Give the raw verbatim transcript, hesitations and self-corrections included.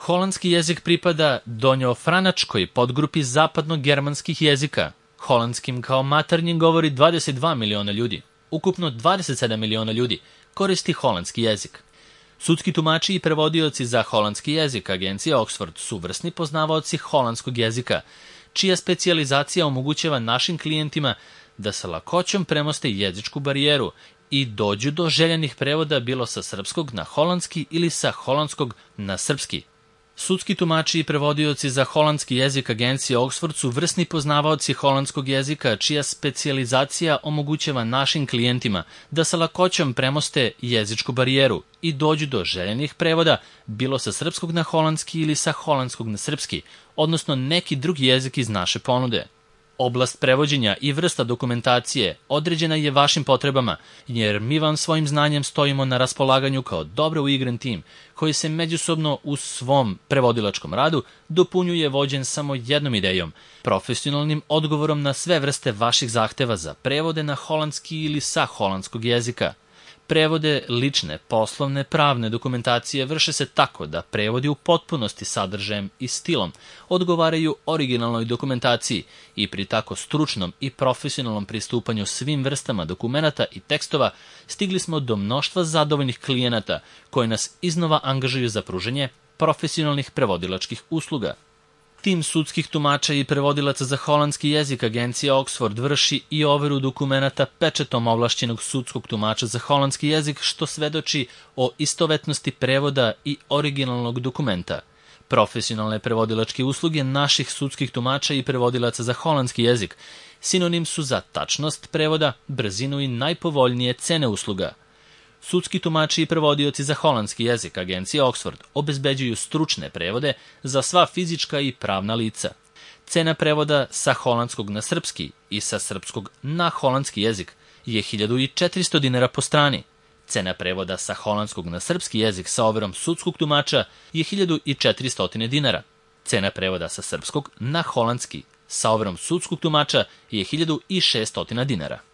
Holandski jezik pripada donjofranačkoj podgrupi zapadno-germanskih jezika. Holandskim kao maternjim govori dvadeset dva miliona ljudi. Ukupno dvadeset sedam miliona ljudi koristi holandski jezik. Sudski tumači i prevodioci za holandski jezik agencije Oxford su vrsni poznavaoci holandskog jezika, čija specijalizacija omogućava našim klijentima da sa lakoćom premoste jezičku barijeru i dođu do željenih prevoda bilo sa srpskog na holandski ili sa holandskog na srpski. Sudski tumači i prevodioci za holandski jezik agencije Oxford su vrsni poznavaoci holandskog jezika, čija specijalizacija omogućava našim klijentima da sa lakoćom premoste jezičku barijeru i dođu do željenih prevoda bilo sa srpskog na holandski ili sa holandskog na srpski, odnosno neki drugi jezik iz naše ponude. Oblast prevođenja i vrsta dokumentacije određena je vašim potrebama, jer mi vam svojim znanjem stojimo na raspolaganju kao dobro uigran tim, koji se međusobno u svom prevodilačkom radu dopunjuje vođen samo jednom idejom, profesionalnim odgovorom na sve vrste vaših zahteva za prevode na holandski ili sa holandskog jezika. Prevode lične, poslovne, pravne dokumentacije vrše se tako da prevodi u potpunosti sadržajem i stilom odgovaraju originalnoj dokumentaciji i pri tako stručnom i profesionalnom pristupanju svim vrstama dokumenata i tekstova stigli smo do mnoštva zadovoljnih klijenata koji nas iznova angažuju za pružanje profesionalnih prevodilačkih usluga. Tim sudskih tumača i prevodilaca za holandski jezik agencija Oxford vrši i overu dokumenata pečetom ovlašćenog sudskog tumača za holandski jezik, što svedoči o istovetnosti prevoda i originalnog dokumenta. Profesionalne prevodilačke usluge naših sudskih tumača i prevodilaca za holandski jezik sinonim su za tačnost prevoda, brzinu i najpovoljnije cene usluga. Sudski tumači i prevodioci za holandski jezik agencije Oxford obezbeđuju stručne prevode za sva fizička i pravna lica. Cena prevoda sa holandskog na srpski i sa srpskog na holandski jezik je hiljadu četiristo dinara po strani. Cena prevoda sa holandskog na srpski jezik sa overom sudskog tumača je hiljadu četiristo dinara. Cena prevoda sa srpskog na holandski sa overom sudskog tumača je hiljadu šeststo dinara.